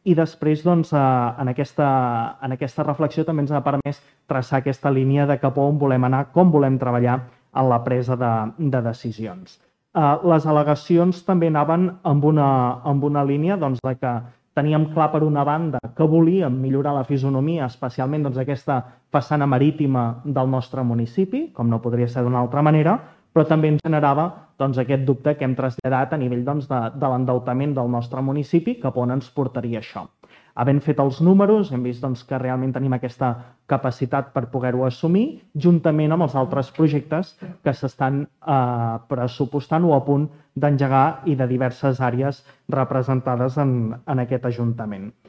i després doncs, en aquesta reflexió també ens ha permès traçar aquesta línia de cap on volem anar, com volem treballar en la presa de decisions. Les al·legacions també anaven amb una línia doncs, de que teníem clar, per una banda, que volíem millorar la fisonomia, especialment doncs, aquesta façana marítima del nostre municipi, com no podria ser d'una altra manera, però també ens generava doncs, aquest dubte que hem traslladat a nivell doncs, de l'endeutament del nostre municipi, cap on ens portaria això. Havent fet els números, hem vist doncs, que realment tenim aquesta capacitat per poder-ho assumir, juntament amb els altres projectes que s'estan pressupostant o a punt d'engegar i de diverses àrees representades en aquest Ajuntament.